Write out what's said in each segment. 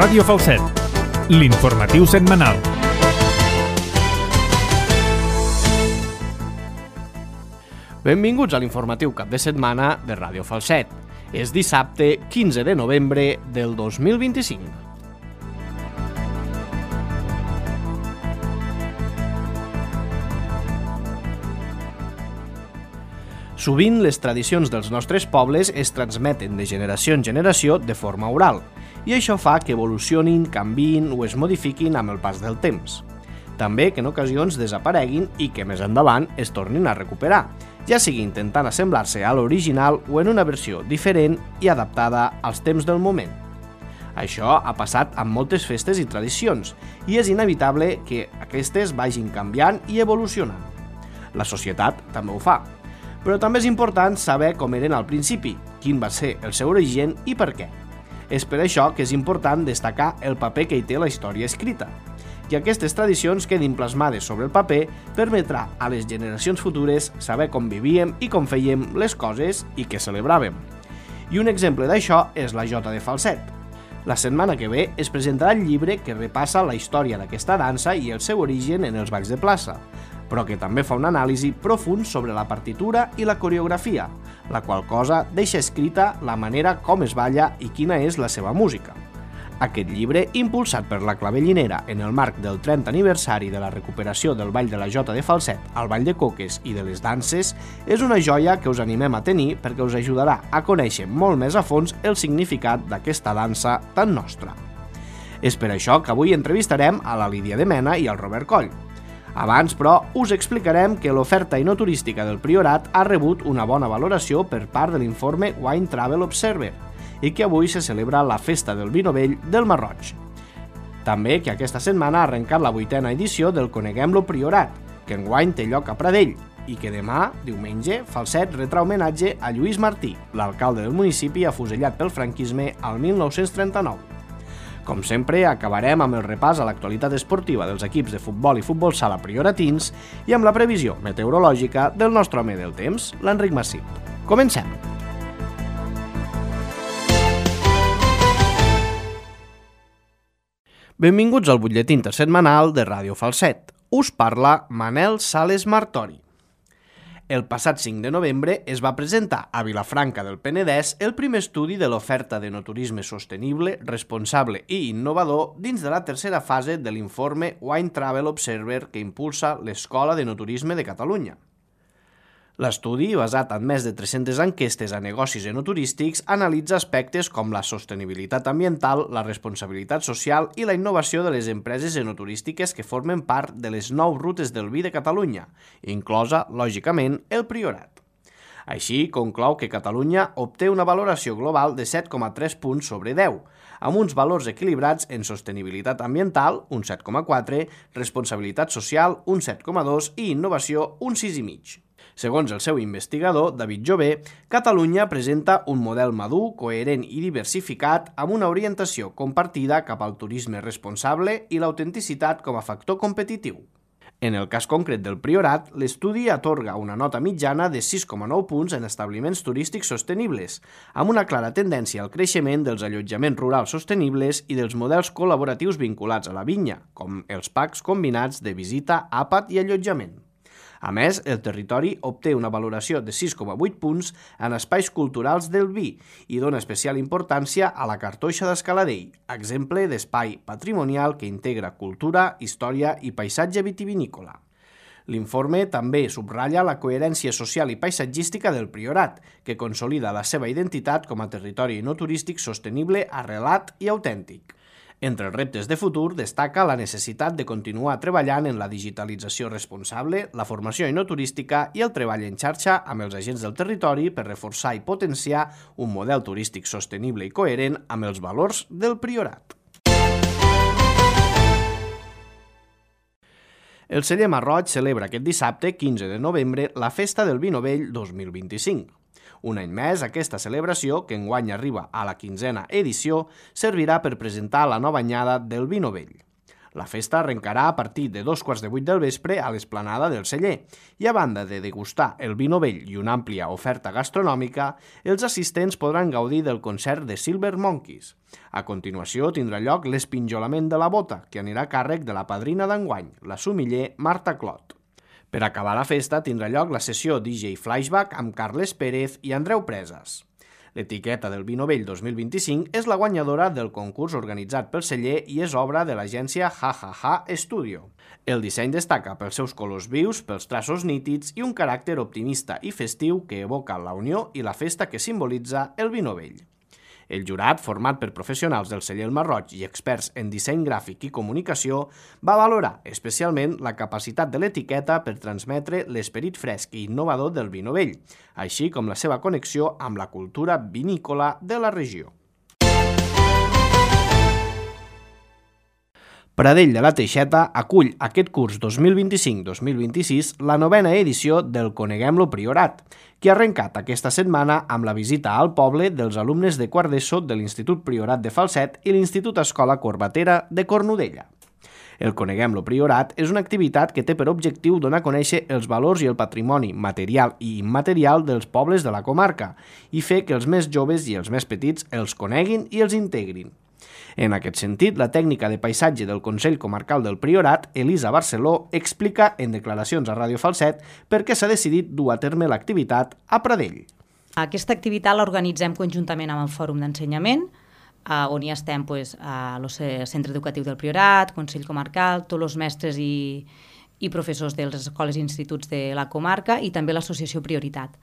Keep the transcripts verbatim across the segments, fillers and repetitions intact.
Ràdio Falset, l'informatiu setmanal. Benvinguts a l'informatiu cap de setmana de Ràdio Falset. És dissabte quinze de novembre del dos mil vint-i-cinc. Sovint les tradicions dels nostres pobles es transmeten de generació en generació de forma oral, i això fa que evolucionin, canviïn o es modifiquin amb el pas del temps. També que en ocasions desapareguin i que més endavant es tornin a recuperar, ja sigui intentant assemblar-se a l'original o en una versió diferent i adaptada als temps del moment. Això ha passat amb moltes festes i tradicions, i és inevitable que aquestes vagin canviant i evolucionant. La societat també ho fa. Però també és important saber com eren al principi, quin va ser el seu origen i per què. És per això que és important destacar el paper que hi té la història escrita. Que aquestes tradicions quedin plasmades sobre el paper permetrà a les generacions futures saber com vivíem i com fèiem les coses i què celebràvem. I un exemple d'això és la Jota de Falset. La setmana que ve es presentarà el llibre que repassa la història d'aquesta dansa i el seu origen en els balls de plaça, però que també fa un anàlisi profund sobre la partitura i la coreografia, la qual cosa deixa escrita la manera com es balla i quina és la seva música. Aquest llibre, impulsat per la Clavellinera en el marc del trentè aniversari de la recuperació del Ball de la Jota de Falset, al Ball de Coques i de les danses, és una joia que us animem a tenir perquè us ajudarà a conèixer molt més a fons el significat d'aquesta dansa tan nostra. És per això que avui entrevistarem a la Lídia de Mena i al Robert Coll. Abans, però, us explicarem que l'oferta enoturística del Priorat ha rebut una bona valoració per part de l'informe Wine Travel Observer i que avui se celebra la Festa del Vi Novell del Marroig. També que aquesta setmana ha arrencat la vuitena edició del Coneguem-lo Priorat, que enguany té lloc a Pradell, i que demà, diumenge, Falset retrà homenatge a Lluís Martí, l'alcalde del municipi afusellat pel franquisme al mil nou-cents trenta-nou. Com sempre, acabarem amb el repàs a l'actualitat esportiva dels equips de futbol i futbol sala prioratins i amb la previsió meteorològica del nostre home del temps, l'Enric Massip. Comencem! Benvinguts al butlletí intersetmanal de Ràdio Falset. Us parla Manel Sales Martori. El passat cinc de novembre es va presentar a Vilafranca del Penedès el primer estudi de l'oferta d'enoturisme sostenible, responsable i innovador dins de la tercera fase de l'informe Wine Travel Observer que impulsa l'Escola d'Enoturisme de Catalunya. L'estudi, basat en més de tres-centes enquestes a negocis enoturístics, analitza aspectes com la sostenibilitat ambiental, la responsabilitat social i la innovació de les empreses enoturístiques que formen part de les nou rutes del vi de Catalunya, inclosa, lògicament, el Priorat. Així, conclou que Catalunya obté una valoració global de set coma tres punts sobre deu, amb uns valors equilibrats en sostenibilitat ambiental, un set coma quatre, responsabilitat social, un set coma dos i innovació, un sis coma cinc. Segons el seu investigador, David Jové, Catalunya presenta un model madur, coherent i diversificat amb una orientació compartida cap al turisme responsable i l'autenticitat com a factor competitiu. En el cas concret del Priorat, l'estudi atorga una nota mitjana de sis coma nou punts en establiments turístics sostenibles, amb una clara tendència al creixement dels allotjaments rurals sostenibles i dels models col·laboratius vinculats a la vinya, com els packs combinats de visita, àpat i allotjament. A més, el territori obté una valoració de sis coma vuit punts en espais culturals del vi i dona especial importància a la Cartoixa d'Escaladell, exemple d'espai patrimonial que integra cultura, història i paisatge vitivinícola. L'informe també subratlla la coherència social i paisatgística del Priorat, que consolida la seva identitat com a territori no turístic sostenible, arrelat i autèntic. Entre els reptes de futur destaca la necessitat de continuar treballant en la digitalització responsable, la formació enoturística i el treball en xarxa amb els agents del territori per reforçar i potenciar un model turístic sostenible i coherent amb els valors del Priorat. El celler Marroig celebra aquest dissabte, quinze de novembre, la Festa del Vi Novell dos mil vint-i-cinc. Un any més, aquesta celebració, que enguany arriba a la quinzena edició, servirà per presentar la nova anyada del vi novell. La festa arrencarà a partir de dos quarts de vuit del vespre a l'esplanada del celler i a banda de degustar el vi novell i una àmplia oferta gastronòmica, els assistents podran gaudir del concert de Silver Monkeys. A continuació tindrà lloc l'espinjolament de la bota, que anirà a càrrec de la padrina d'enguany, la sumiller Marta Clot. Per acabar la festa tindrà lloc la sessió D J Flashback amb Carles Pérez i Andreu Presas. L'etiqueta del vi novell dos mil vint-i-cinc és la guanyadora del concurs organitzat pel celler i és obra de l'agència Ha Ha Ha Studio. El disseny destaca pels seus colors vius, pels traços nítids i un caràcter optimista i festiu que evoca la unió i la festa que simbolitza el vi novell. El jurat, format per professionals del celler El Marroig i experts en disseny gràfic i comunicació, va valorar especialment la capacitat de l'etiqueta per transmetre l'esperit fresc i innovador del vi novell, així com la seva connexió amb la cultura vinícola de la regió. Pradell de la Teixeta acull aquest curs dos mil vint-i-cinc dos mil vint-i-sis la novena edició del Coneguem-lo Priorat, que ha arrencat aquesta setmana amb la visita al poble dels alumnes de quart d'ESO de l'Institut Priorat de Falset i l'Institut Escola Corbatera de Cornudella. El Coneguem-lo Priorat és una activitat que té per objectiu donar a conèixer els valors i el patrimoni material i immaterial dels pobles de la comarca i fer que els més joves i els més petits els coneguin i els integrin. En aquest sentit, la tècnica de paisatge del Consell Comarcal del Priorat, Elisa Barceló, explica en declaracions a Ràdio Falset per què s'ha decidit dur a terme l'activitat a Pradell. Aquesta activitat l'organitzem conjuntament amb el Fòrum d'Ensenyament, on hi estem pues, a el Centre Educatiu del Priorat, Consell Comarcal, tots els mestres i, i professors de les escoles i instituts de la comarca i també l'associació Prioritat.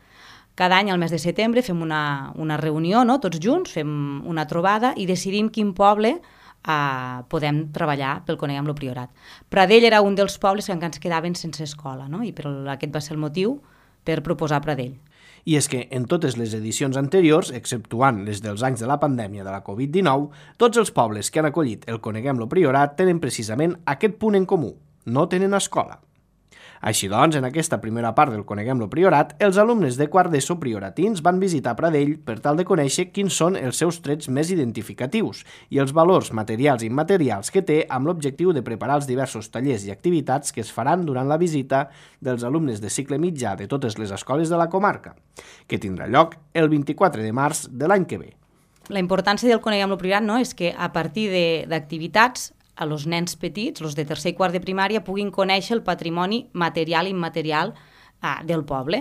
Cada any, al mes de setembre, fem una, una reunió, no? Tots junts, fem una trobada i decidim quin poble eh, podem treballar pel Coneguem-lo Priorat. Pradell era un dels pobles que encara ens quedaven sense escola, no? I per aquest va ser el motiu per proposar Pradell. I és que en totes les edicions anteriors, exceptuant les dels anys de la pandèmia de la covid dinou, tots els pobles que han acollit el Coneguem-lo Priorat tenen precisament aquest punt en comú: no tenen escola. Així doncs, en aquesta primera part del Coneguem-lo Priorat, els alumnes de quart d'ESO prioratins van visitar Pradell per tal de conèixer quins són els seus trets més identificatius i els valors materials i immaterials que té amb l'objectiu de preparar els diversos tallers i activitats que es faran durant la visita dels alumnes de cicle mitjà de totes les escoles de la comarca, que tindrà lloc el vint-i-quatre de març de l'any que ve. La importància del Coneguem-lo Priorat, no, és que a partir d'activitats a els nens petits, els de tercer i quart de primària, puguin conèixer el patrimoni material i immaterial eh, del poble.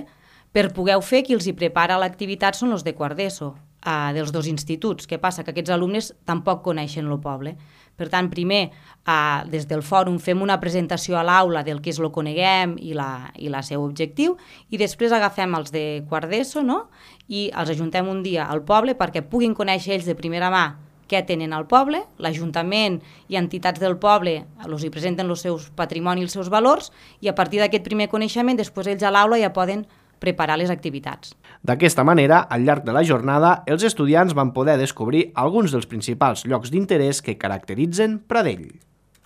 Per poder fer, qui els hi prepara l'activitat són els de quart d'ESO, eh, dels dos instituts. Què passa? Que aquests alumnes tampoc coneixen el poble. Per tant, primer, eh, des del fòrum fem una presentació a l'aula del que és el Coneguem i la, i la seu objectiu, i després agafem els de quart d'ESO, no? I els ajuntem un dia al poble perquè puguin conèixer ells de primera mà què tenen al poble, l'Ajuntament i entitats del poble els hi presenten els seus patrimoni i els seus valors i a partir d'aquest primer coneixement després ells a l'aula ja poden preparar les activitats. D'aquesta manera, al llarg de la jornada, els estudiants van poder descobrir alguns dels principals llocs d'interès que caracteritzen Pradell.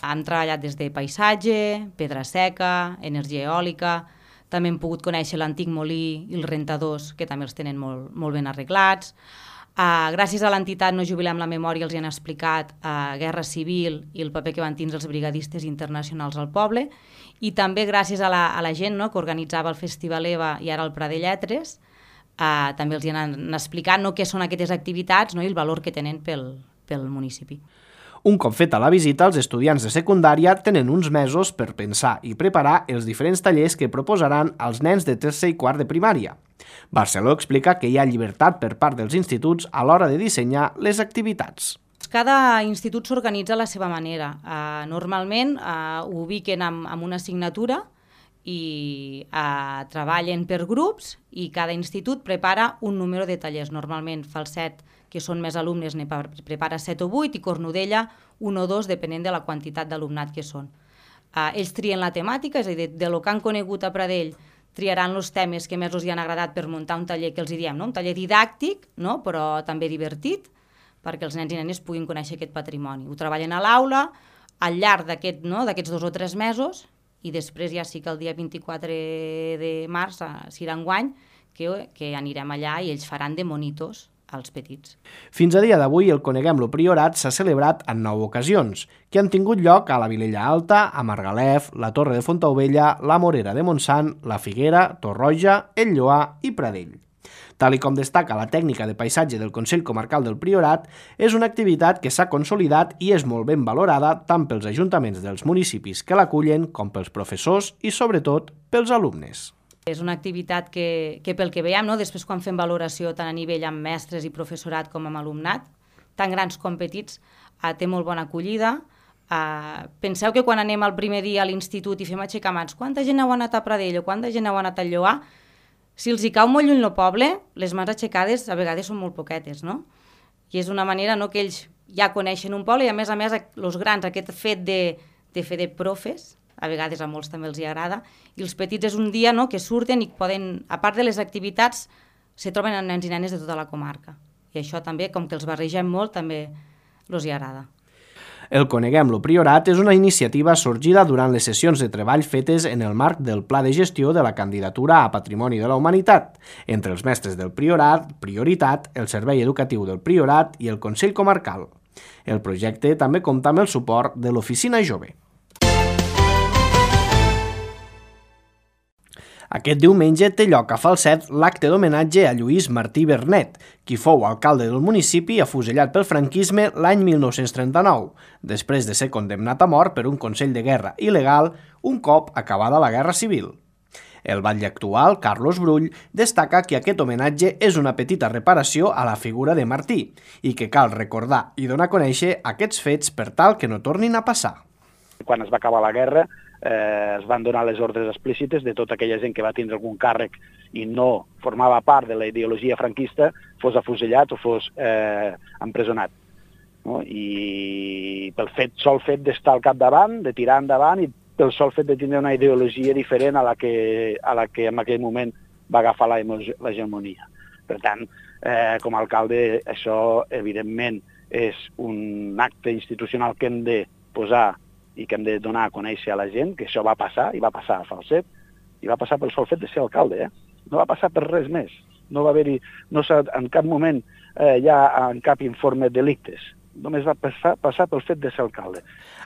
Han treballat des de paisatge, pedra seca, energia eòlica, també hem pogut conèixer l'antic molí i els rentadors, que també els tenen molt, molt ben arreglats. Uh, gràcies a l'entitat No Jubilem la Memòria els hi han explicat uh, Guerra Civil i el paper que van tindre els brigadistes internacionals al poble i també gràcies a la, a la gent, no, que organitzava el Festival EVA i ara el Pradell Lletres, uh, també els hi han explicat, no, què són aquestes activitats, no, i el valor que tenen pel, pel municipi. Un cop feta la visita, els estudiants de secundària tenen uns mesos per pensar i preparar els diferents tallers que proposaran als nens de tercer i quart de primària. Barceló explica que hi ha llibertat per part dels instituts a l'hora de dissenyar les activitats. Cada institut s'organitza a la seva manera. Uh, normalment uh, ho ubiquen amb, amb una assignatura i uh, treballen per grups i cada institut prepara un número de tallers. Normalment Falset, que són més alumnes, ne prepara set o vuit i Cornudella un o dos, depenent de la quantitat d'alumnat que són. Uh, ells trien la temàtica, és a dir, de, de lo que han conegut a Pradell, triaran els temes que més els hi han agradat per muntar un taller que els hi diem, no? Un taller didàctic, no? Però també divertit, perquè els nens i nenes puguin conèixer aquest patrimoni. Ho treballen a l'aula, al llarg d'aquest, no? d'aquests dos o tres mesos, i després ja sí que el dia vint-i-quatre de març, si era enguany, que, que anirem allà i ells faran de monitors als petits. Fins a dia d'avui, el Coneguem-lo Priorat s'ha celebrat en nou ocasions, que han tingut lloc a la Vilella Alta, a Margalef, la Torre de Fontaubella, la Morera de Montsant, la Figuera, Torroja, el Lloar i Pradell. Tal i com destaca la tècnica de paisatge del Consell Comarcal del Priorat, és una activitat que s'ha consolidat i és molt ben valorada tant pels ajuntaments dels municipis que l'acullen com pels professors i, sobretot, pels alumnes. És una activitat que, que pel que veiem, no? Després quan fem valoració tant a nivell amb mestres i professorat com amb alumnat, tant grans com petits, eh, té molt bona acollida. Eh, penseu que quan anem el primer dia a l'institut i fem aixecar mans, quanta gent heu anat a Pradell o quanta gent heu anat a Lloar? Si els hi cau molt lluny el poble, les mans aixecades a vegades són molt poquetes, no? I és una manera, no?, que ells ja coneixen un poble i a més a més els grans aquest fet de, de fer de profes, a vegades a molts també els hi agrada, i els petits és un dia, no?, que surten i poden, a part de les activitats, se troben amb nens i nenes de tota la comarca. I això també, com que els barregem molt, també els hi agrada. El Coneguem-lo Priorat és una iniciativa sorgida durant les sessions de treball fetes en el marc del Pla de Gestió de la Candidatura a Patrimoni de la Humanitat, entre els mestres del Priorat, Prioritat, el Servei Educatiu del Priorat i el Consell Comarcal. El projecte també compta amb el suport de l'Oficina Jove. Aquest diumenge té lloc a Falset l'acte d'homenatge a Lluís Martí Bernet, qui fou alcalde del municipi afusellat pel franquisme l'any mil nou-cents trenta-nou, després de ser condemnat a mort per un Consell de Guerra il·legal un cop acabada la Guerra Civil. El batlle actual, Carlos Brull, destaca que aquest homenatge és una petita reparació a la figura de Martí i que cal recordar i donar a conèixer aquests fets per tal que no tornin a passar. Quan es va acabar la guerra, eh, es van donar les ordres explícites de tota aquella gent que va tindre algun càrrec i no formava part de la ideologia franquista, fos afusellat o fos eh, empresonat. No? I pel fet, sol fet d'estar al capdavant, de tirar endavant, i pel sol fet de tindre una ideologia diferent a la que, a la que en aquell moment va agafar l'hegemonia. Per tant, eh, com a alcalde, això evidentment és un acte institucional que hem de posar i que hem de donar a conèixer a la gent que això va passar, i va passar a Falset, i va passar pel sol fet de ser alcalde, eh? No va passar per res més. No va haver-hi, no s'ha en cap moment eh, hi ha en cap informe delictes. Només va passar, passar pel fet de ser alcalde.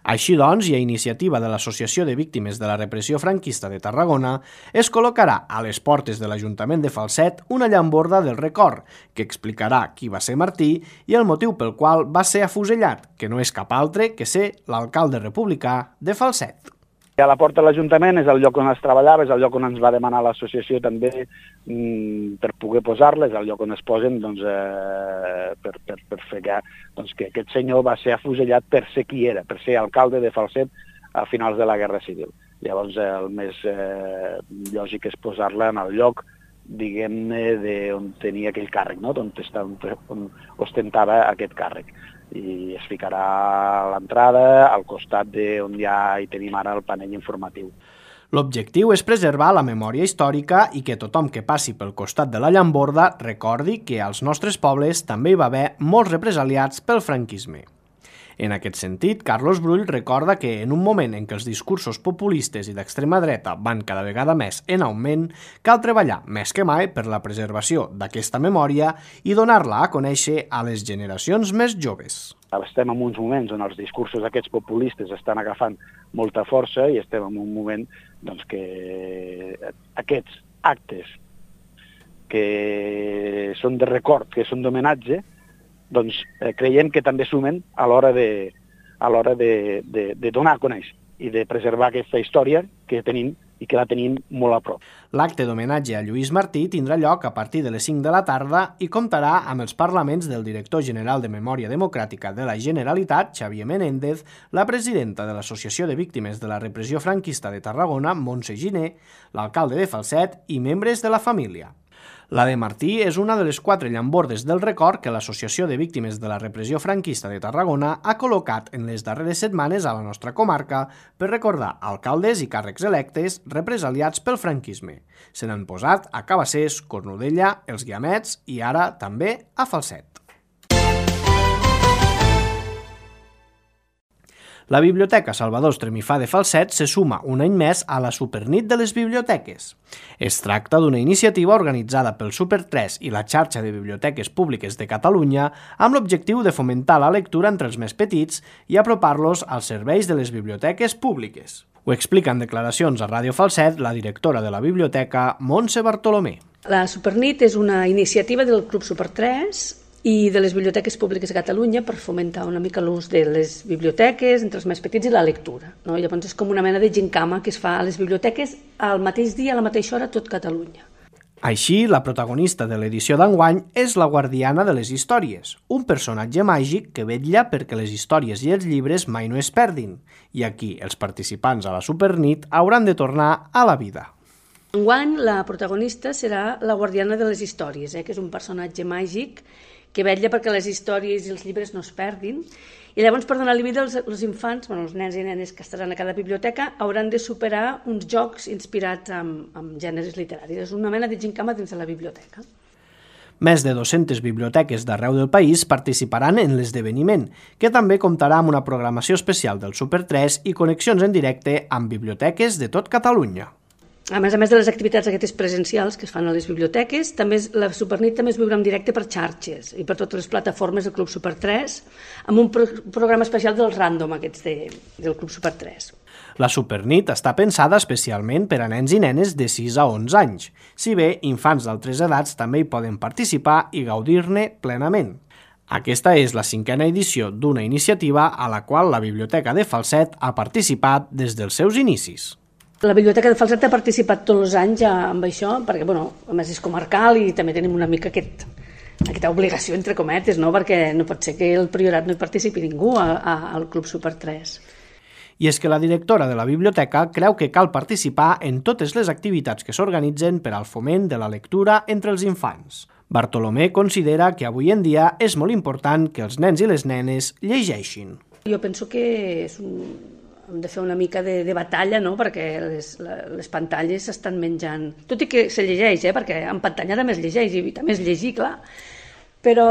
Així doncs, i a iniciativa de l'Associació de Víctimes de la Repressió Franquista de Tarragona, es col·locarà a les portes de l'Ajuntament de Falset una llamborda del record que explicarà qui va ser Martí i el motiu pel qual va ser afusellat, que no és cap altre que ser l'alcalde republicà de Falset. A la porta de l'Ajuntament és el lloc on es treballava, és el lloc on ens va demanar l'associació també mmm, per poder posar-les, el lloc on es posen doncs, eh, per, per, per fer que, doncs, que aquest senyor va ser afusellat per ser qui era, per ser alcalde de Falset a finals de la Guerra Civil. Llavors el més eh, lògic és posar-la en el lloc, diguem-ne, on tenia aquell càrrec, no? on, on, on ostentava aquest càrrec. I es ficarà a l'entrada, al costat d'on ja hi tenim ara el panell informatiu. L'objectiu és preservar la memòria històrica i que tothom que passi pel costat de la llamborda recordi que als nostres pobles també hi va haver molts represaliats pel franquisme. En aquest sentit, Carlos Brull recorda que en un moment en què els discursos populistes i d'extrema dreta van cada vegada més en augment, cal treballar més que mai per la preservació d'aquesta memòria i donar-la a conèixer a les generacions més joves. Estem en uns moments on els discursos aquests populistes estan agafant molta força i estem en un moment doncs, que aquests actes que són de record, que són d'homenatge, doncs eh, creiem que també sumen a l'hora de, a l'hora de, de, de donar a conèixer i de preservar aquesta història que tenim i que la tenim molt a prop. L'acte d'homenatge a Lluís Martí tindrà lloc a partir de les cinc de la tarda i comptarà amb els parlaments del director general de Memòria Democràtica de la Generalitat, Xavier Menéndez, la presidenta de l'Associació de Víctimes de la Repressió Franquista de Tarragona, Montse Giner, l'alcalde de Falset i membres de la família. La de Martí és una de les quatre llambordes del record que l'Associació de Víctimes de la Repressió Franquista de Tarragona ha col·locat en les darreres setmanes a la nostra comarca per recordar alcaldes i càrrecs electes represaliats pel franquisme. Se n'han posat a Cabassers, Cornudella, els Guiamets i ara també a Falset. La Biblioteca Salvador Estremifà de Falset se suma un any més a la Supernit de les Biblioteques. Es tracta d'una iniciativa organitzada pel Super tres i la xarxa de biblioteques públiques de Catalunya amb l'objectiu de fomentar la lectura entre els més petits i apropar-los als serveis de les biblioteques públiques. Ho explica en declaracions a Ràdio Falset la directora de la biblioteca, Montse Bartolomé. La Supernit és una iniciativa del Club Super tres i de les biblioteques públiques de Catalunya per fomentar una mica l'ús de les biblioteques entre els més petits i la lectura. No? Llavors és com una mena de gincama que es fa a les biblioteques al mateix dia, a la mateixa hora, a tot Catalunya. Així, la protagonista de l'edició d'enguany és la guardiana de les històries, un personatge màgic que vetlla perquè les històries i els llibres mai no es perdin, i aquí els participants a la Supernit hauran de tornar a la vida. Enguany, la protagonista serà la guardiana de les històries, eh, que és un personatge màgic que vetlla perquè les històries i els llibres no es perdin. I llavors, per donar-li vida als, als infants, bueno, els nens i nenes que estaran a cada biblioteca, hauran de superar uns jocs inspirats en, en gèneres literaris. És una mena de gincama dins de la biblioteca. Més de dues-centes biblioteques d'arreu del país participaran en l'esdeveniment, que també comptarà amb una programació especial del Super tres i connexions en directe amb biblioteques de tot Catalunya. A més a més de les activitats aquestes presencials que es fan a les biblioteques, també la Supernit també es viurà en directe per xarxes i per totes les plataformes del Club Super tres, amb un pro programa especial dels random aquests de, del Club Super tres. La Supernit està pensada especialment per a nens i nenes de sis a onze anys, si bé infants d'altres edats també hi poden participar i gaudir-ne plenament. Aquesta és la cinquena edició d'una iniciativa a la qual la Biblioteca de Falset ha participat des dels seus inicis. La Biblioteca de Falset ha participat tots els anys amb això, perquè, bueno, a més és comarcal i també tenim una mica aquest, aquesta obligació, entre cometes, no? Perquè no pot ser que el Priorat no hi participi ningú a, a, al Club Super tres. I és que la directora de la biblioteca creu que cal participar en totes les activitats que s'organitzen per al foment de la lectura entre els infants. Bartolomé considera que avui en dia és molt important que els nens i les nenes llegeixin. Jo penso que és un... hem de fer una mica de, de batalla, no? Perquè les, les pantalles s'estan menjant, tot i que se llegeix, eh? Perquè en pantalla també es llegeix i també es llegir, clar, però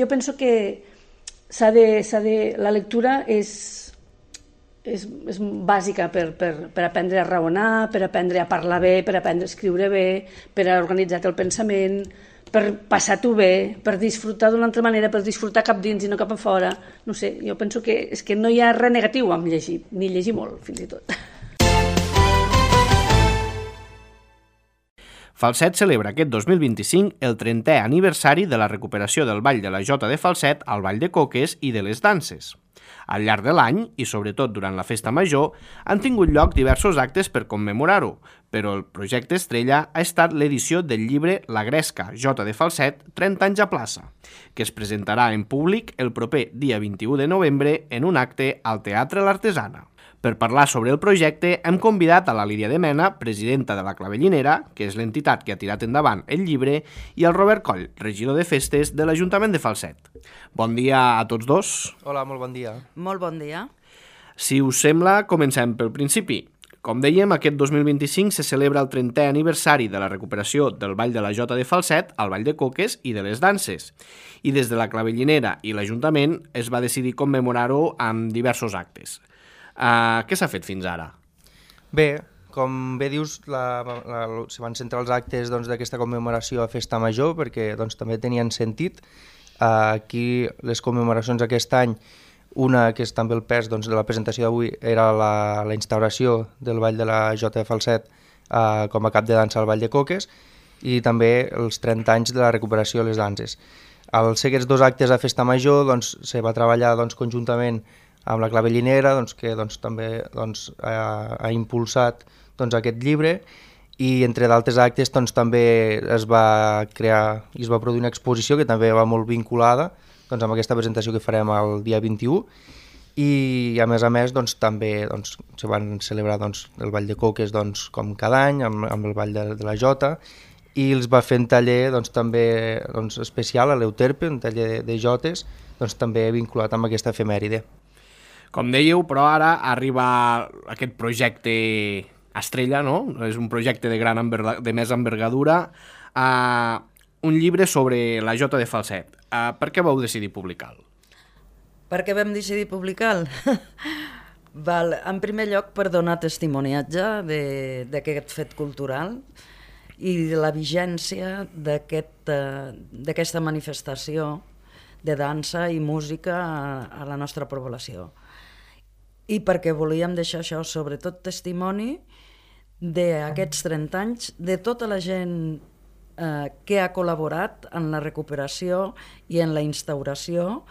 jo penso que s'ha de, s'ha de, la lectura és, és, és bàsica per, per, per aprendre a raonar, per aprendre a parlar bé, per aprendre a escriure bé, per a organitzar el pensament, per passar-t'ho bé, per disfrutar d'una altra manera, per disfrutar cap dins i no cap a fora. No sé, jo penso que és que no hi ha res negatiu amb llegir, ni llegir molt, fins i tot. Falset celebra aquest dos mil vint-i-cinc el trentè aniversari de la recuperació del Ball de la Jota de Falset al Ball de Coques i de les danses. Al llarg de l'any, i sobretot durant la festa major, han tingut lloc diversos actes per commemorar-ho, però el projecte estrella ha estat l'edició del llibre La Gresca, Jota de Falset, trenta anys a plaça, que es presentarà en públic el proper dia vint-i-u de novembre en un acte al Teatre L'Artesana. Per parlar sobre el projecte hem convidat a la Lídia de Mena, presidenta de la Clavellinera, que és l'entitat que ha tirat endavant el llibre, i al Robert Coll, regidor de festes de l'Ajuntament de Falset. Bon dia a tots dos. Hola, molt bon dia. Molt bon dia. Si us sembla, comencem pel principi. Com dèiem, aquest dos mil vint-i-cinc se celebra el trentè aniversari de la recuperació del Ball de la Jota de Falset, el Ball de Coques i de les danses. I des de la Clavellinera i l'Ajuntament es va decidir commemorar-ho amb diversos actes. Uh, què s'ha fet fins ara? Bé, com bé dius, la, la, se van centrar els actes doncs, d'aquesta commemoració a Festa Major perquè doncs, també tenien sentit. Uh, aquí les commemoracions aquest any, una que és també el pes doncs, de la presentació d'avui, era la, la instauració del Ball de la Jota de Falset uh, com a cap de dansa al Ball de Coques i també els trenta anys de la recuperació de les danses. Al ser aquests dos actes a Festa Major doncs, se va treballar doncs, conjuntament amb la Clavellinera, doncs, que doncs, també doncs, ha, ha impulsat doncs, aquest llibre i entre d'altres actes doncs, també es va crear i es va produir una exposició que també va molt vinculada doncs, amb aquesta presentació que farem el dia vint-i-u i a més a més doncs, també doncs, se van celebrar doncs, el Ball de Coques doncs, com cada any amb, amb el Ball de, de la Jota i els va fer un taller doncs, també doncs, especial a l'Euterpe, un taller de, de jotes doncs, també vinculat amb aquesta efemèride. Com dèieu, però ara arriba aquest projecte estrella, no? És un projecte de, gran enverga, de més envergadura, uh, un llibre sobre la Jota de Falset. Uh, per què vau decidir publicar-lo? Per què vam decidir publicar-lo? Val, en primer lloc, per donar testimoniatge d'aquest fet cultural i de la vigència d'aquesta aquest, uh, manifestació de dansa i música a, a la nostra població. I perquè volíem deixar això, sobretot testimoni d'aquests trenta anys, de tota la gent eh, que ha col·laborat en la recuperació i en la instauració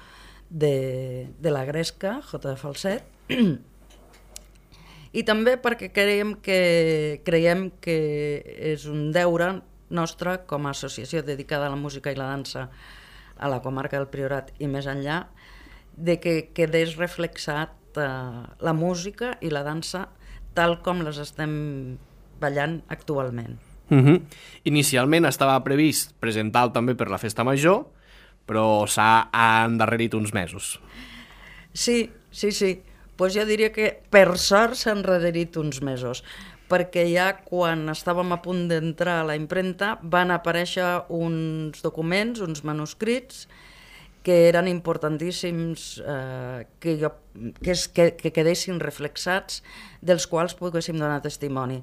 de, de la Gresca, Jota de Falset, i també perquè creiem que, creiem que és un deure nostre com a associació dedicada a la música i la dansa a la comarca del Priorat i més enllà, de que quedés reflexat eh, la música i la dansa tal com les estem ballant actualment. Uh-huh. Inicialment estava previst presentar-lo també per la Festa Major, però s'ha endarrerit uns mesos. Sí, sí, sí. Pues jo diria que per sort s'han endarrerit uns mesos, perquè ja quan estàvem a punt d'entrar a la impremta van aparèixer uns documents, uns manuscrits, que eren importantíssims eh, que, jo, que, es, que, que quedessin reflexats, dels quals poguéssim donar testimoni.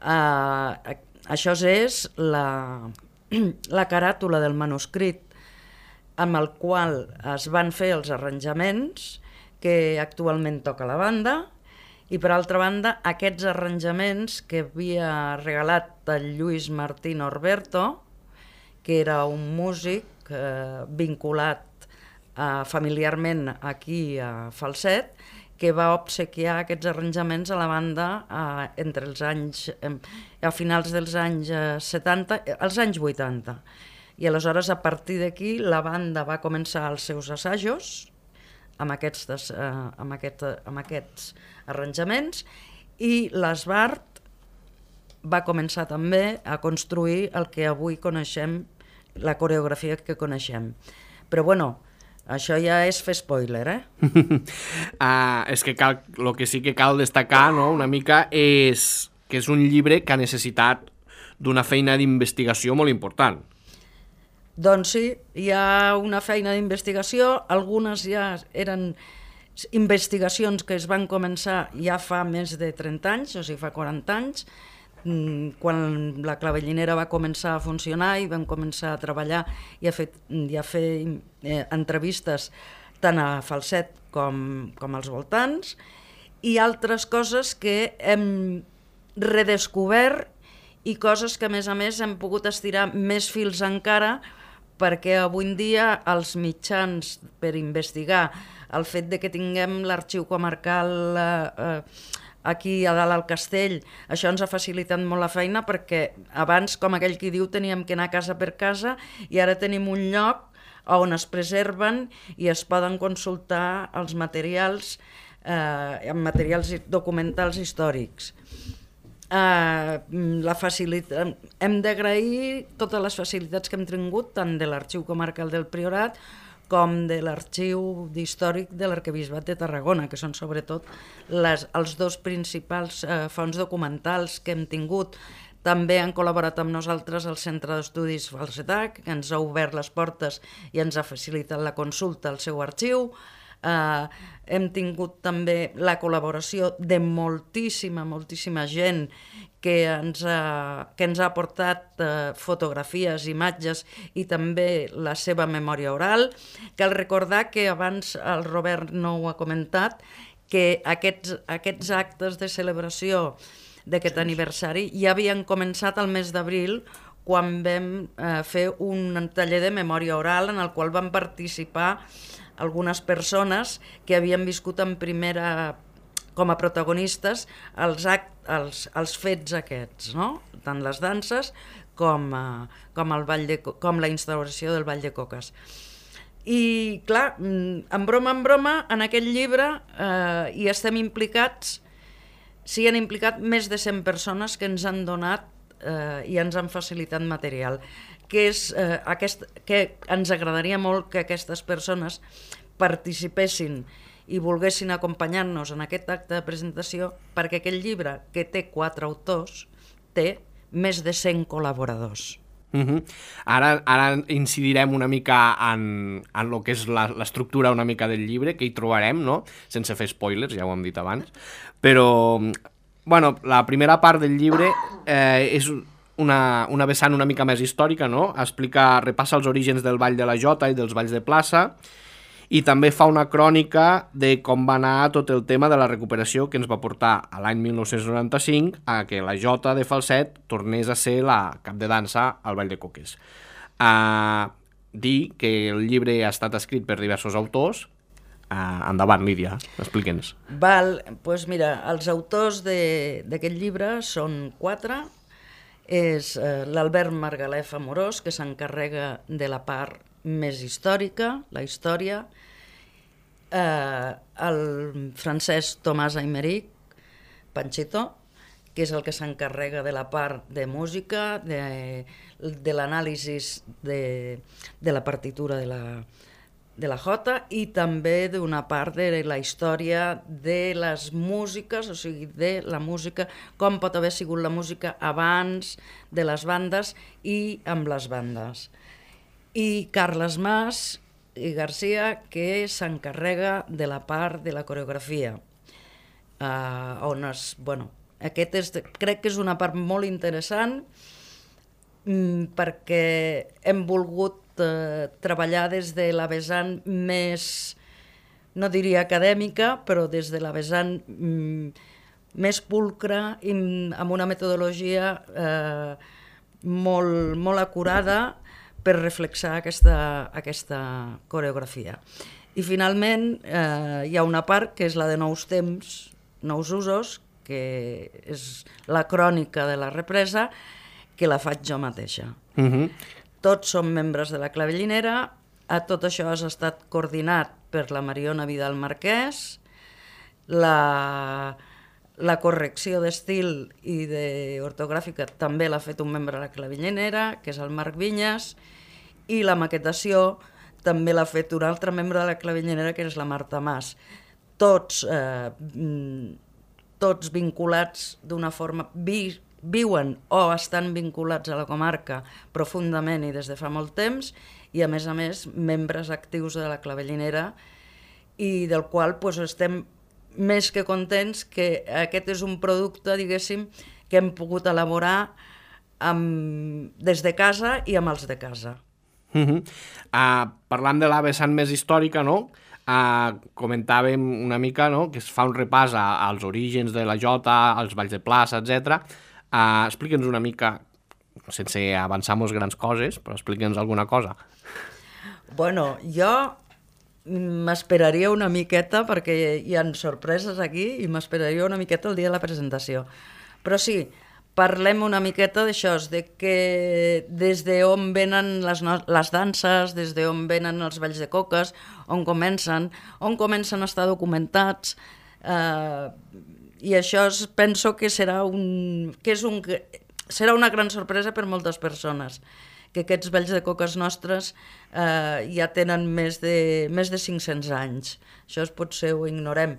Eh, això és la, la caràtula del manuscrit amb el qual es van fer els arranjaments que actualment toca la banda, i per altra banda aquests arranjaments que havia regalat el Lluís Martí Norberto, que era un músic eh, vinculat eh, familiarment aquí a Falset, que va obsequiar aquests arranjaments a la banda eh, entre els anys, eh, a finals dels anys eh, setanta, als anys vuitanta. I aleshores, a partir d'aquí, la banda va començar els seus assajos amb aquests, eh, amb aquest, amb aquests arranjaments, i l'Esbart va començar també a construir el que avui coneixem, la coreografia que coneixem. Però bueno, això ja és fer spoiler, eh? uh, és que cal, el que sí que cal destacar, no?, una mica és que és un llibre que ha necessitat d'una feina d'investigació molt important. Doncs sí, hi ha una feina d'investigació, algunes ja eren investigacions que es van començar ja fa més de trenta anys, o sigui, fa quaranta anys, quan la clavellinera va començar a funcionar i vam començar a treballar i a fer, i a fer eh, entrevistes tant a Falset com, com als voltants, i altres coses que hem redescobert i coses que a més a més hem pogut estirar més fils encara, perquè avui en dia els mitjans per investigar el fet de que tinguem l'arxiu comarcal eh, aquí a dalt al castell, això ens ha facilitat molt la feina, perquè abans, com aquell qui diu, teníem que anar casa per casa, i ara tenim un lloc on es preserven i es poden consultar els materials, eh, materials documentals històrics. Uh, la facilitat, hem d'agrair totes les facilitats que hem tingut tant de l'Arxiu Comarcal del Priorat com de l'Arxiu Històric de l'Arquebisbat de Tarragona, que són sobretot les, els dos principals uh, fons documentals que hem tingut. També han col·laborat amb nosaltres el Centre d'Estudis Falsetà, que ens ha obert les portes i ens ha facilitat la consulta al seu arxiu. Uh, hem tingut també la col·laboració de moltíssima, moltíssima gent que ens ha, que ens ha aportat uh, fotografies, imatges i també la seva memòria oral. Cal recordar que abans el Robert no ho ha comentat, que aquests, aquests actes de celebració d'aquest aniversari ja havien començat al mes d'abril, quan vam eh, fer un taller de memòria oral en el qual van participar algunes persones que havien viscut en primera, com a protagonistes, els, act, els, els fets aquests, no? Tant les danses com, eh, com, el ball de, com la instauració del Ball de Coques. I clar, en broma en broma, en aquest llibre eh, hi estem implicats, s'hi han implicat més de cent persones que ens han donat eh, i ens han facilitat material. Que, és, eh, aquest, que ens agradaria molt que aquestes persones participessin i volguessin acompanyar-nos en aquest acte de presentació, perquè aquest llibre, que té quatre autors, té més de cent col·laboradors. Uh -huh. Ara, ara incidirem una mica en, en el que és l'estructura una mica del llibre, que hi trobarem, no? Sense fer spoilers, ja ho hem dit abans. Però, bueno, la primera part del llibre eh, és una, una vessant una mica més històrica, no? Explica, repassa els orígens del Ball de la Jota i dels balls de plaça, i també fa una crònica de com va anar tot el tema de la recuperació que ens va portar a l'any mil nou-cents noranta-cinc a que la Jota de Falset tornés a ser la cap de dansa al Ball de Coques. Uh, dir que el llibre ha estat escrit per diversos autors. Uh, endavant, Lídia, explica'ns. Val, doncs mira, els autors d'aquest llibre són quatre. És eh, l'Albert Margalef Amorós, que s'encarrega de la part més històrica, la història, eh, el Francesc Tomàs Aymeric, Panchito, que és el que s'encarrega de la part de música, de, de l'anàlisi de, de la partitura de la, de la jota, i també d'una part de la història de les músiques, o sigui, de la música, com pot haver sigut la música abans de les bandes i amb les bandes. I Carles Mas i Garcia, que s'encarrega de la part de la coreografia. Uh, on es, bueno, aquest és, crec que és una part molt interessant mm, perquè hem volgut uh, treballar des de la vessant més, no diria acadèmica, però des de la vessant mm, més pulcra i amb una metodologia uh, molt, molt acurada per reflexar aquesta, aquesta coreografia. I finalment eh, hi ha una part que és la de nous temps, nous usos, que és la crònica de la represa, que la faig jo mateixa. Uh-huh. Tots som membres de la Clavellinera, a tot això ha estat coordinat per la Mariona Vidal Marquès, la... La correcció d'estil i d'ortogràfica també l'ha fet un membre de la Clavellinera, que és el Marc Vinyes, i la maquetació també l'ha fet un altre membre de la Clavellinera, que és la Marta Mas. Tots, eh, tots vinculats d'una forma... Vi, viuen o estan vinculats a la comarca profundament i des de fa molt temps, i a més a més membres actius de la Clavellinera, i del qual pues, estem més que contents que aquest és un producte, diguéssim, que hem pogut elaborar amb, des de casa i amb els de casa. Uh -huh. uh, parlant de la vessant més històrica, no? Uh, comentàvem una mica, no?, que es fa un repàs a, als orígens de la jota, als balls de plaça, etcètera. Uh, explica'ns una mica, sense avançar-nos grans coses, però explica'ns alguna cosa. Bueno, jo m'esperaria una miqueta, perquè hi ha sorpreses aquí, i m'esperaria una miqueta el dia de la presentació. Però sí, parlem una miqueta d'això, de que des d'on venen les, no les danses, des d'on venen els balls de coques, on comencen, on comencen a estar documentats, eh, i això es, penso que serà, un, que és un, serà una gran sorpresa per moltes persones, que aquests balls de coques nostres eh, ja tenen més de, més de cinc-cents anys. Això es potser ho ignorem.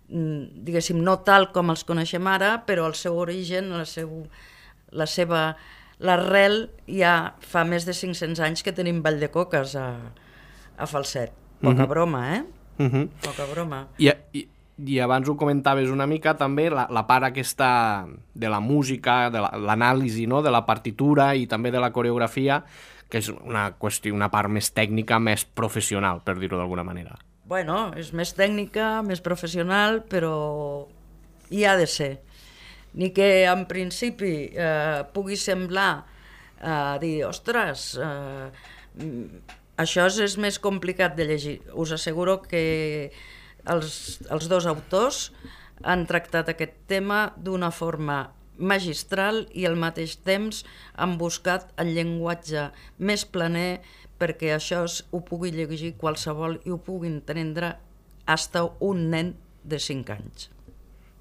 Diguéssim, no tal com els coneixem ara, però el seu origen, la, seu, la seva... l'arrel ja fa més de cinc-cents anys que tenim ball de coques a, a Falset. Poca uh-huh. broma, eh? Uh-huh. Poca broma. I, i, I abans ho comentaves una mica també, la, la part aquesta de la música, de l'anàlisi, no?, de la partitura i també de la coreografia, que és una qüestió, una part més tècnica, més professional, per dir-ho d'alguna manera. Bueno, és més tècnica, més professional, però hi ha de ser. Ni que en principi eh, pugui semblar eh, dir, ostres, eh, això és més complicat de llegir. Us asseguro que els, els dos autors han tractat aquest tema d'una forma magistral i al mateix temps han buscat el llenguatge més planer perquè això ho pugui llegir qualsevol i ho pugui entendre hasta un nen de cinc anys.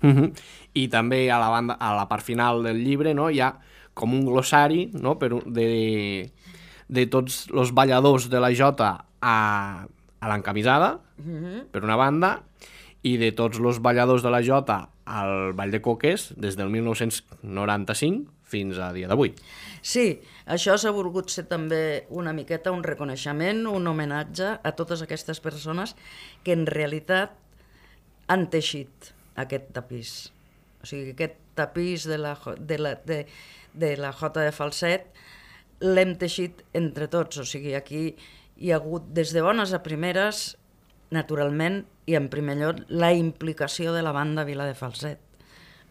Uh-huh. I també a la, banda, a la part final del llibre, no, hi ha com un glossari, no, per, de, de tots els balladors de la jota a, a l'encamisada, uh-huh. per una banda, i de tots els balladors de la jota al Ball de Coques des del mil nou-cents noranta-cinc fins a dia d'avui. Sí, això s'ha volgut ser també una miqueta un reconeixement, un homenatge a totes aquestes persones que en realitat han teixit aquest tapís. O sigui, aquest tapís de la, de la, de, de la Jota de Falset l'hem teixit entre tots. O sigui, aquí hi ha hagut des de bones a primeres, naturalment, i en primer lloc, la implicació de la banda Vila de Falset.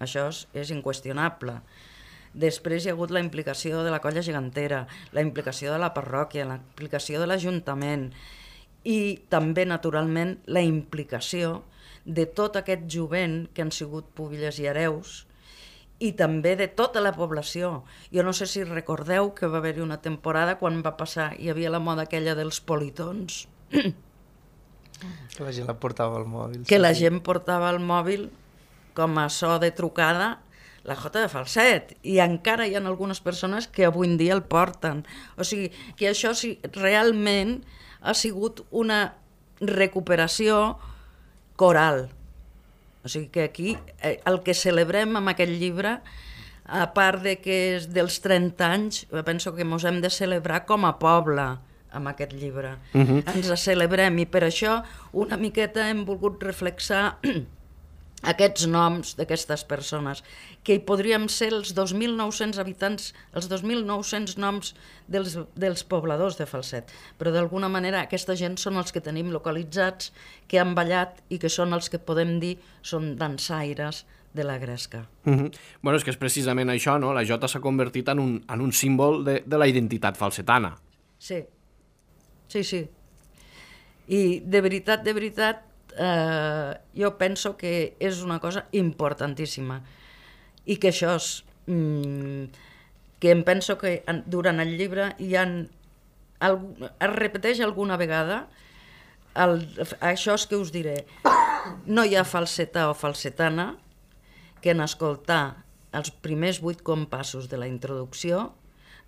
Això és, és inqüestionable. Després hi ha hagut la implicació de la colla gegantera, la implicació de la parròquia, la implicació de l'Ajuntament i també, naturalment, la implicació de tot aquest jovent que han sigut pubilles i hereus i també de tota la població. Jo no sé si recordeu que va haver-hi una temporada quan va passar, hi havia la moda aquella dels politons. Que la gent la portava al mòbil. Que la gent portava al mòbil com a so de trucada la Jota de Falset, i encara hi ha algunes persones que avui en dia el porten. O sigui, que això sí, realment ha sigut una recuperació coral. O sigui que aquí eh, el que celebrem amb aquest llibre, a part de que és dels trenta anys, penso que ens hem de celebrar com a poble amb aquest llibre. Uh-huh. Ens celebrem, i per això una miqueta hem volgut reflexar aquests noms d'aquestes persones, que hi podríem ser els dos mil nou-cents habitants, els dos mil nou-cents noms dels, dels pobladors de Falset, però d'alguna manera aquesta gent són els que tenim localitzats, que han ballat i que són els que podem dir són dansaires de la gresca. Uh-huh. Bueno, és que és precisament això, no? La jota s'ha convertit en un, en un símbol de, de la identitat falsetana. Sí, sí, sí. I de veritat, de veritat, eh, jo penso que és una cosa importantíssima i que això és, mm, que em penso que durant el llibre hi ha, es repeteix alguna vegada el, això és que us diré, no hi ha falsetà o falsetana que en escoltar els primers vuit compassos de la introducció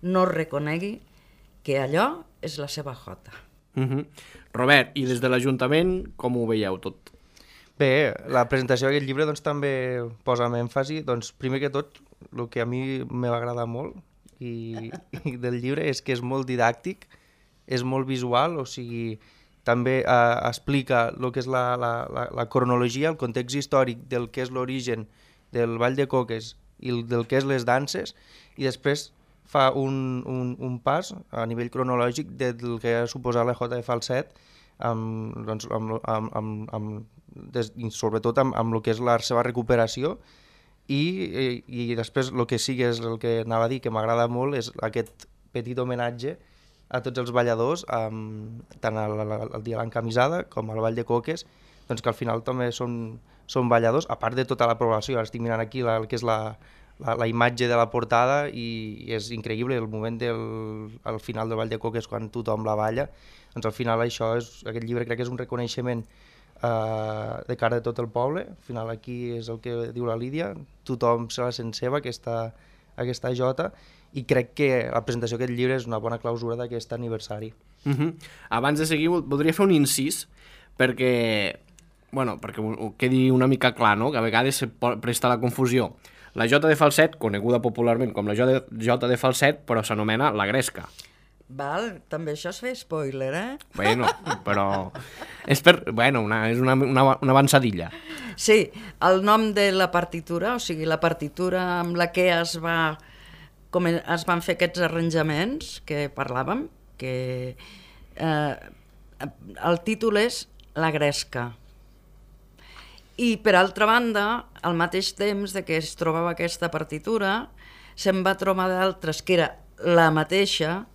no reconegui que allò és la seva jota. Uh-huh. Robert, i des de l'Ajuntament com ho veieu tot? Bé, la presentació d'aquest llibre doncs, també posa amb èmfasi, doncs, primer que tot, el que a mi m'ha agradat molt i, i del llibre és que és molt didàctic, és molt visual, o sigui, també eh, explica el que és la, la, la, la cronologia, el context històric del que és l'origen del Ball de Coques i el, del que és les danses, i després fa un, un, un pas a nivell cronològic del que ha suposat la Jota de Falset, amb, doncs, amb, amb, amb, amb, des, i sobretot amb, amb el que és la seva recuperació, i, i, i després el que sí que és el que anava a dir, que m'agrada molt, és aquest petit homenatge a tots els balladors, amb, tant al, al dia de l'encamisada com al Ball de Coques, doncs que al final també són, són balladors, a part de tota la població. Ara estic mirant aquí la, el que és la, la, la imatge de la portada i, i és increïble el moment del al final del Ball de Coques quan tothom la balla. Doncs al final això és, aquest llibre crec que és un reconeixement eh, de cara de tot el poble. Al final aquí és el que diu la Lídia, tothom se la sent seva, aquesta, aquesta jota, i crec que la presentació d'aquest llibre és una bona clausura d'aquest aniversari. Uh-huh. Abans de seguir, voldria fer un incís, perquè, bueno, perquè ho quedi una mica clar, no? Que a vegades se presta la confusió. La Jota de Falset, coneguda popularment com la Jota de Falset, però s'anomena la Gresca. Val, també això és fer spoiler, eh? Bueno, però és, per, bueno, una, és una, una, una avançadilla. Sí, el nom de la partitura, o sigui, la partitura amb la que es va... com es van fer aquests arranjaments que parlàvem, que eh, el títol és La Gresca. I per altra banda, al mateix temps de que es trobava aquesta partitura, se'n va trobar d'altres que era la mateixa,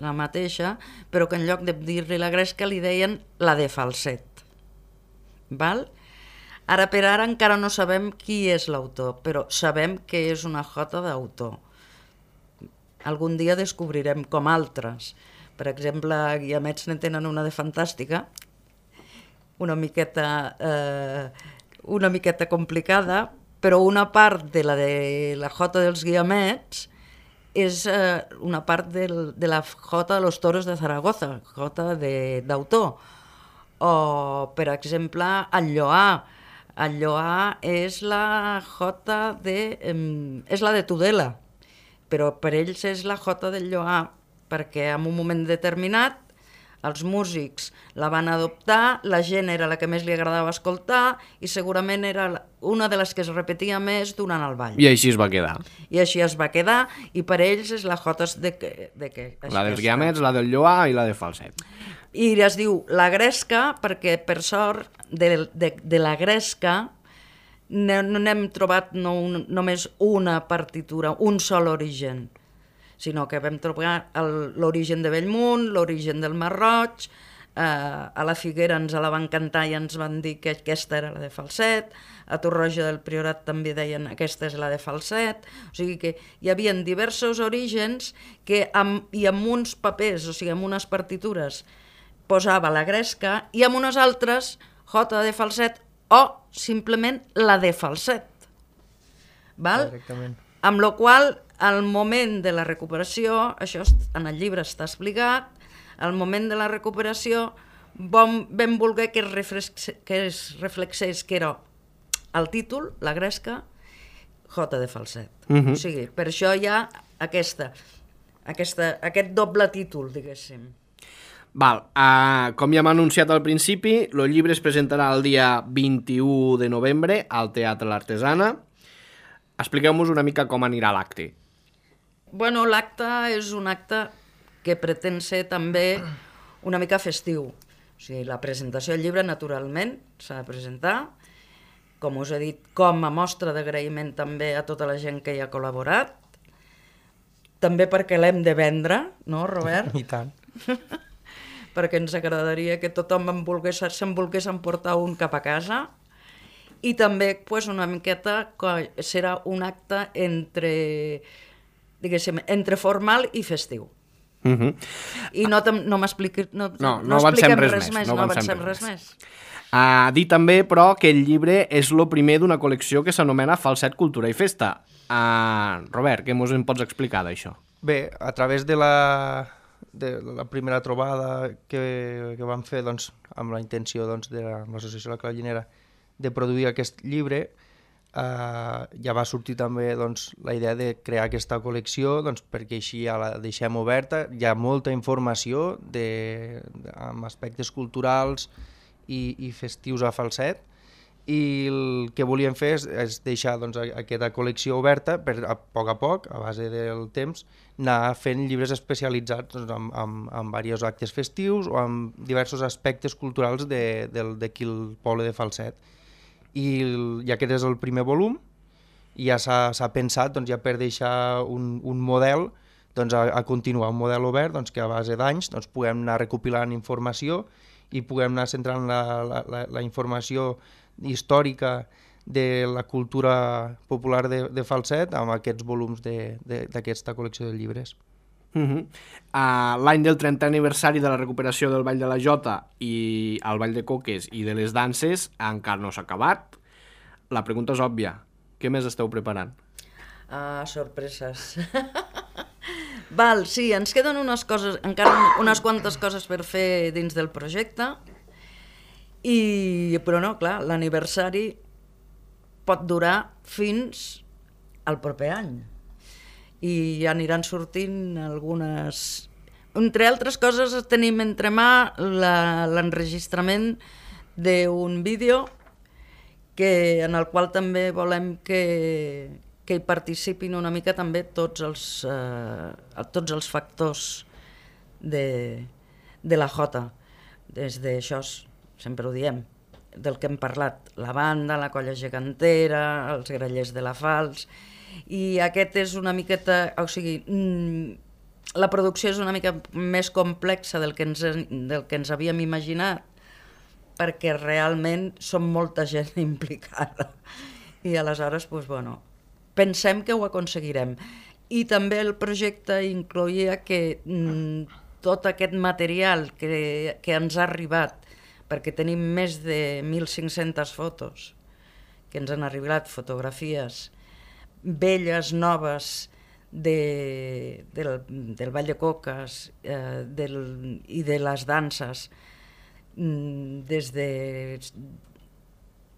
la mateixa, però que en lloc de dir-li la Gresca li deien la de Falset. Val? Ara per ara encara no sabem qui és l'autor, però sabem que és una jota d'autor. Algun dia descobrirem com altres. Per exemple, Guiamets ne tenen una de fantàstica, una miqueta, eh, una miqueta complicada, però una part de la de la jota dels Guiamets és eh, una part del, de la jota de los toros de Zaragoza, jota d'autor. O, per exemple, el Lloà. El Lloà és la jota de... Eh, és la de Tudela. però per ells és la Jota del Lloar, perquè en un moment determinat els músics la van adoptar, la gent era la que més li agradava escoltar i segurament era una de les que es repetia més durant el ball. I així es va quedar. I així es va quedar, i per ells és la Jota de que... De que la dels guiamets, la del Lloar i la de falset. I es diu la gresca perquè, per sort, de, de, de la gresca no n'hem trobat no, un, només una partitura, un sol origen, sinó que vam trobar l'origen de Bellmunt, l'origen del Mar Roig, eh, a la Figuera ens la van cantar i ens van dir que aquesta era la de falset, a Torroja del Priorat també deien aquesta és la de falset, o sigui que hi havia diversos orígens que amb, i amb uns papers, o sigui, amb unes partitures, posava la gresca i amb unes altres jota de falset o simplement la de falset. Val? Directament. Amb la qual al moment de la recuperació, això en el llibre està explicat, al moment de la recuperació vam, vam voler que es, reflex, que es reflexés que era el títol, la gresca, jota de falset. Uh-huh. O sigui, per això hi ha aquesta, aquesta, aquest doble títol, diguéssim. Val, uh, com ja hem anunciat al principi, el llibre es presentarà el dia vint-i-u de novembre al Teatre l'Artesana. Expliqueu-nos una mica com anirà l'acte. Bueno, l'acte és un acte que pretén ser també una mica festiu. O sigui, la presentació del llibre, naturalment, s'ha de presentar, com us he dit, com a mostra d'agraïment també a tota la gent que hi ha col·laborat, també perquè l'hem de vendre, no, Robert? I tant. Perquè ens agradaria que tothom en volgués, se'n volgués emportar un cap a casa, i també pues, una miqueta serà un acte entre, diguéssim, entre formal i festiu. Uh-huh. I no, no m'expliqui no, no, no, no avancem res, res més, més, no no avancem avancem res, res més. més. Uh, dir també, però, que el llibre és el primer d'una col·lecció que s'anomena Falset, Cultura i Festa. Uh, Robert, què ens en pots explicar d'això? Bé, a través de la, de la primera trobada que, que vam fer doncs, amb la intenció doncs, de l'Associació de la Clavellinera de produir aquest llibre, eh, ja va sortir també doncs, la idea de crear aquesta col·lecció doncs, perquè així ja la deixem oberta. Hi ha molta informació de, de, amb aspectes culturals i, i festius a falset, i el que volíem fer és, és deixar doncs, aquesta col·lecció oberta per a poc a poc, a base del temps, anar fent llibres especialitzats doncs, amb, amb, amb diversos actes festius o amb diversos aspectes culturals d'aquí el poble de Falset. I, el, i aquest és el primer volum, i ja s'ha pensat doncs, ja per deixar un, un model doncs, a, a continuar, un model obert doncs, que a base d'anys doncs, puguem anar recopilant informació i puguem anar centrant la, la, la, la informació històrica de la cultura popular de, de Falset amb aquests volums d'aquesta col·lecció de llibres. Uh-huh. uh, L'any del trentè aniversari de la recuperació del Ball de la Jota i el Ball de Coques i de les danses encara no s'ha acabat. La pregunta és òbvia. Què més esteu preparant? Ah, sorpreses. Val, sí, ens queden unes coses, encara unes quantes coses per fer dins del projecte, i, però no, clar, l'aniversari pot durar fins al proper any. I aniran sortint algunes... Entre altres coses tenim entre mà l'enregistrament d'un vídeo que, en el qual també volem que, que hi participin una mica també tots els, eh, tots els factors de, de la Jota. Des d'això, sempre ho diem, del que hem parlat, la banda, la colla gegantera, els grallers de la Fals... I aquest és una miqueta, o sigui, la producció és una mica més complexa del que ens, del que ens havíem imaginat, perquè realment som molta gent implicada. I aleshores, doncs, bueno, pensem que ho aconseguirem. I també el projecte incloïa que mm, tot aquest material que, que ens ha arribat, perquè tenim més de mil cinc-centes fotos que ens han arribat, fotografies velles, noves, de, del, del Ball de Coques eh, del, i de les danses, des de,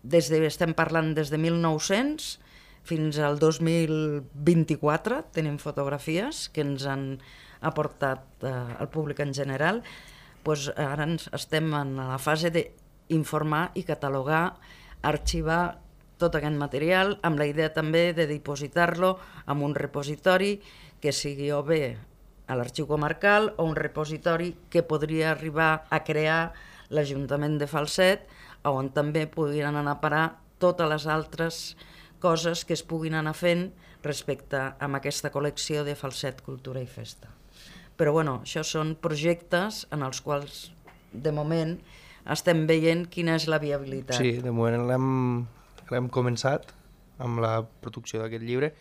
des de, estem parlant des de mil nou-cents fins al dos mil vint-i-quatre tenim fotografies que ens han aportat eh, al públic en general. Pues ara ens estem en la fase d'informar i catalogar, arxivar tot aquest material, amb la idea també de dipositar-lo en un repositori que sigui o bé a l'arxiu comarcal o un repositori que podria arribar a crear l'Ajuntament de Falset, on també podrien anar a parar totes les altres coses que es puguin anar fent respecte a aquesta col·lecció de Falset, Cultura i Festa. Però bueno, això són projectes en els quals, de moment, estem veient quina és la viabilitat. Sí, de moment l'hem, l'hem començat amb la producció d'aquest llibre.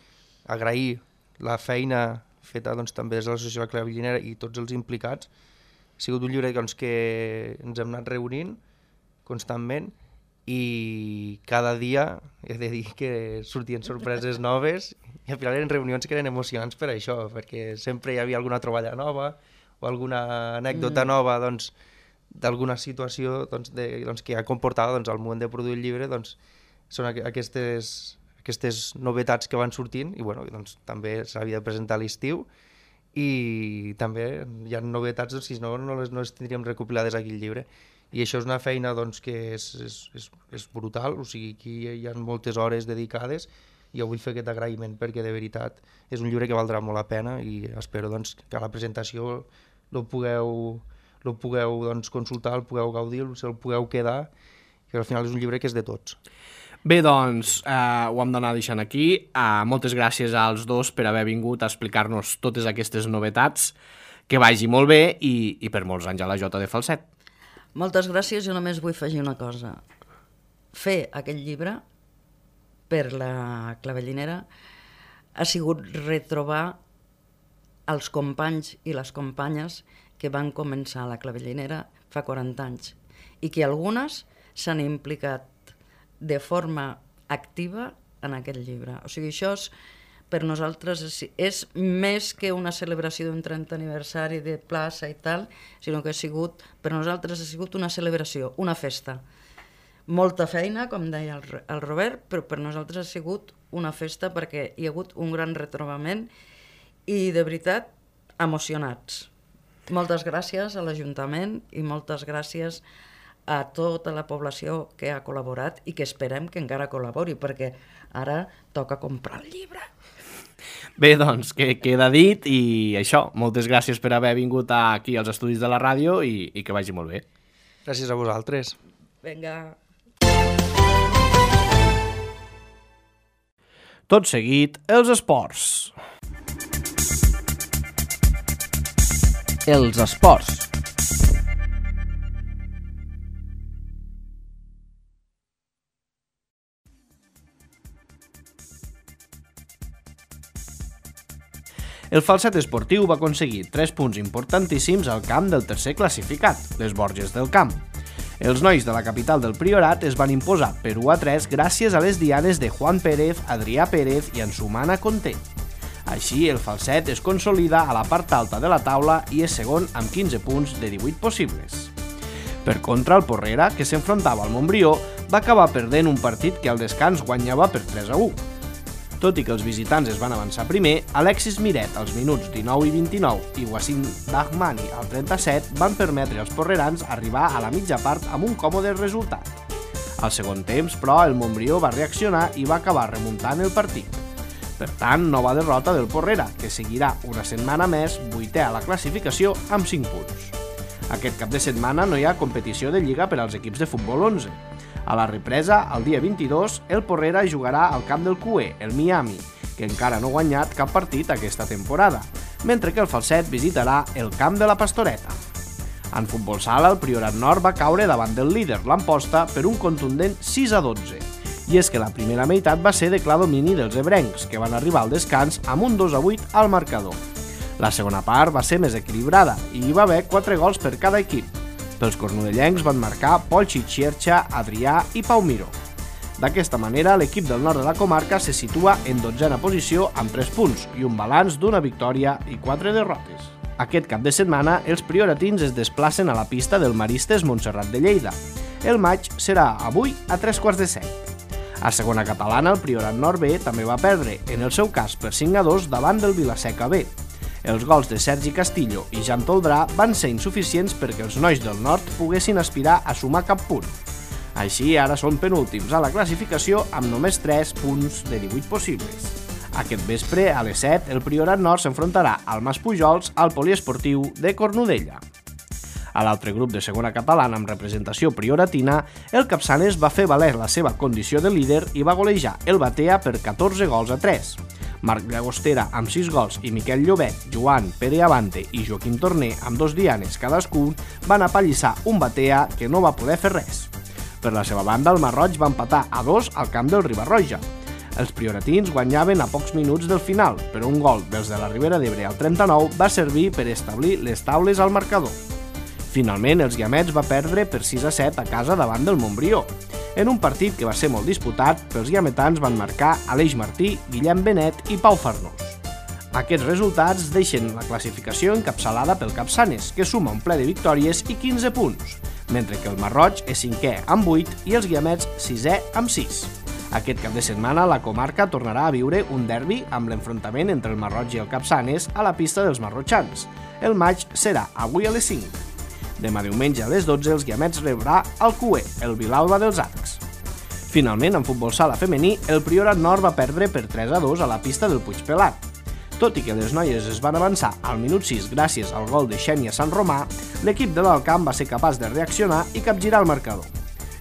Agrair la feina feta doncs, també des de l'Associació de la Clavellinera i tots els implicats. Ha sigut un llibre doncs, que ens hem anat reunint constantment i cada dia he de dir que sortien sorpreses noves i al final eren reunions que eren emocionants per això, perquè sempre hi havia alguna troballa nova o alguna anècdota mm. nova doncs, d'alguna situació doncs, de, doncs, que ha comportat doncs, al moment de produir el llibre, doncs, són aqu aquestes, aquestes novetats que van sortint i bueno, doncs, també s'havia de presentar a l'estiu i també hi ha novetats, doncs, si no, no les, no les tindríem recopilades aquí al llibre. I això és una feina doncs, que és, és, és, és brutal, o sigui, aquí hi ha moltes hores dedicades i jo vull fer aquest agraïment perquè de veritat és un llibre que valdrà molt la pena i espero doncs, que a la presentació el pugueu, el pugueu doncs, consultar, el pugueu gaudir, el pugueu quedar, que al final és un llibre que és de tots. Bé, doncs, eh, ho hem d'anar deixant aquí. Eh, moltes gràcies als dos per haver vingut a explicar-nos totes aquestes novetats. Que vagi molt bé i, i per molts anys a la Jota de Falset. Moltes gràcies, jo només vull afegir una cosa. Fer aquest llibre per la Clavellinera ha sigut retrobar els companys i les companyes que van començar a la Clavellinera fa quaranta anys i que algunes s'han implicat de forma activa en aquest llibre. O sigui, això és, per nosaltres és, és més que una celebració d'un trentè aniversari de plaça i tal, sinó que ha sigut, per nosaltres ha sigut una celebració, una festa. Molta feina, com deia el, el Robert, però per nosaltres ha sigut una festa perquè hi ha hagut un gran retrobament i, de veritat, emocionats. Moltes gràcies a l'Ajuntament i moltes gràcies a tota la població que ha col·laborat i que esperem que encara col·labori, perquè ara toca comprar el llibre. Bé, doncs, que queda dit i això, moltes gràcies per haver vingut aquí als estudis de la ràdio i, i que vagi molt bé. Gràcies a vosaltres. Vinga. Tot seguit, els esports. Els esports. El Falset Esportiu va aconseguir tres punts importantíssims al camp del tercer classificat, les Borges del Camp. Els nois de la capital del Priorat es van imposar per u a tres gràcies a les dianes de Juan Pérez, Adrià Pérez i Ansumana Conté. Així, el Falset es consolida a la part alta de la taula i és segon amb quinze punts de divuit possibles. Per contra, el Porrera, que s'enfrontava al Montbrió, va acabar perdent un partit que al descans guanyava per tres a u. Tot i que els visitants es van avançar primer, Alexis Miret als minuts dinou i vint-i-nou i Wassim Dahmani al trenta-set van permetre als porrerans arribar a la mitja part amb un còmode resultat. Al segon temps, però, el Montbrió va reaccionar i va acabar remuntant el partit. Per tant, nova derrota del Porrera, que seguirà una setmana més vuitè a la classificació amb cinc punts. Aquest cap de setmana no hi ha competició de lliga per als equips de futbol onze. A la represa, el dia vint-i-dos, el Porrera jugarà al camp del Q E, el Miami, que encara no ha guanyat cap partit aquesta temporada, mentre que el Falset visitarà el camp de la Pastoreta. En futbol sala, el Priorat Nord va caure davant del líder, l'Amposta, per un contundent sis a dotze. I és que la primera meitat va ser de clar domini dels ebrencs, que van arribar al descans amb un dos a vuit al marcador. La segona part va ser més equilibrada i hi va haver quatre gols per cada equip. Pels cornudellencs van marcar Pol Xixierxa, Adrià i Pau Miró. D'aquesta manera, l'equip del nord de la comarca se situa en dotzena posició amb tres punts i un balanç d'una victòria i quatre derrotes. Aquest cap de setmana, els prioratins es desplacen a la pista del Maristes Montserrat de Lleida. El maig serà avui a tres quarts de set. A segona catalana, el Priorat Nord B també va perdre, en el seu cas per cinc a dos davant del Vilaseca B. Els gols de Sergi Castillo i Jan Toldrà van ser insuficients perquè els nois del Nord poguessin aspirar a sumar cap punt. Així, ara són penúltims a la classificació amb només tres punts de divuit possibles. Aquest vespre, a les set, el Priorat Nord s'enfrontarà al Mas Pujols al poliesportiu de Cornudella. A l'altre grup de segona catalana amb representació prioratina, el Capçanes va fer valer la seva condició de líder i va golejar el Batea per catorze gols a tres. Marc Llagostera amb sis gols i Miquel Llobet, Joan, Pere Avante i Joaquim Torner amb dos dianes cadascun van apallissar un Batea que no va poder fer res. Per la seva banda, el Marroig va empatar a dos al camp del Ribarroja. Els prioratins guanyaven a pocs minuts del final, però un gol dels de la Ribera d'Ebre al trenta-nou va servir per establir les taules al marcador. Finalment, els Guiamets va perdre per sis a set a casa davant del Montbrió. En un partit que va ser molt disputat, els guiametans van marcar Aleix Martí, Guillem Benet i Pau Farnós. Aquests resultats deixen la classificació encapçalada pel Capçanes, que suma un ple de victòries i quinze punts, mentre que el Marroig és cinquè amb vuit i els Guiamets sisè amb sis. Aquest cap de setmana la comarca tornarà a viure un derbi amb l'enfrontament entre el Marroig i el Capçanes a la pista dels marrotxans. El maig serà avui a les cinc. Demà diumenge a les dotze els Guiamets rebrà el Cué, el Vilalba dels Arcs. Finalment, en futbol sala femení, el Priorat Nord va perdre per tres a dos a la pista del Puigpelat. Tot i que les noies es van avançar al minut sis gràcies al gol de Xènia Sant Romà, l'equip de l'Alcamp va ser capaç de reaccionar i capgirar el marcador.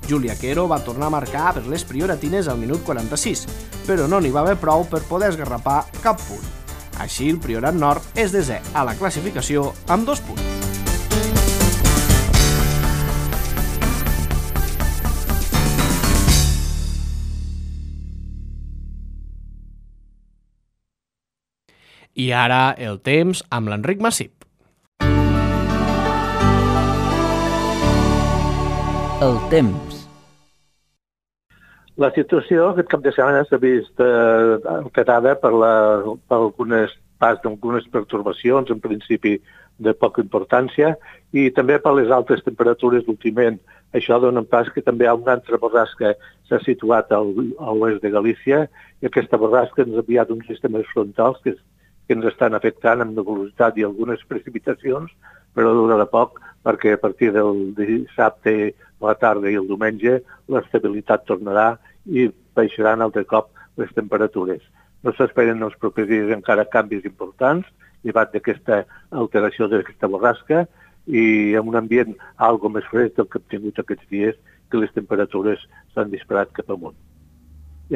Júlia Quero va tornar a marcar per les prioratines al minut quaranta-sis, però no n'hi va haver prou per poder esgarrapar cap punt. Així, el Priorat Nord és desè a la classificació amb dos punts. I ara el temps amb l'Enric Massip. El temps. La situació aquest cap de setmana s'ha vist eh, alterada per, la, per algunes pas d'algunes pertorbacions, en principi de poca importància, i també per les altes temperatures últimament. Això dona pas que també hi ha una altra borrasca s'ha situat al, a l'oest de Galícia, i aquesta borrasca ens ha enviat uns sistemes frontals que que ens estan afectant amb velocitat i algunes precipitacions, però durarà poc perquè a partir del dissabte a la tarda i el diumenge l'estabilitat tornarà i baixaran altre cop les temperatures. No s'esperen els propers dies encara canvis importants, llevat d'aquesta alteració d'aquesta borrasca i en un ambient algo més fred del que hem tingut aquests dies, que les temperatures s'han disparat cap amunt.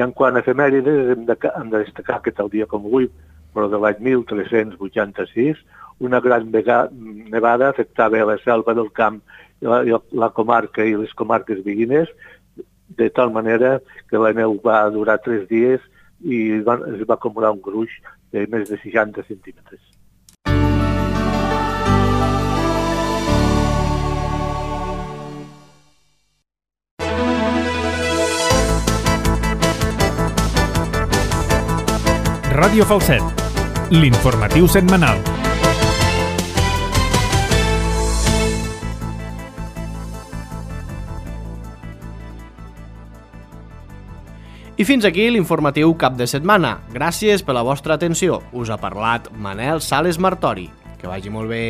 I en quant a efemèrides, hem de, hem de destacar que tal dia com avui, però de l'any mil tres-cents vuitanta-sis, una gran nevada afectava la selva del camp, la, la comarca i les comarques veïnes, de tal manera que la neu va durar tres dies i va, es va acumular un gruix de més de seixanta centímetres. Ràdio Falset, l'informatiu setmanal. I fins aquí l'informatiu cap de setmana. Gràcies per la vostra atenció. Us ha parlat Manel Sales Martori. Que vagi molt bé.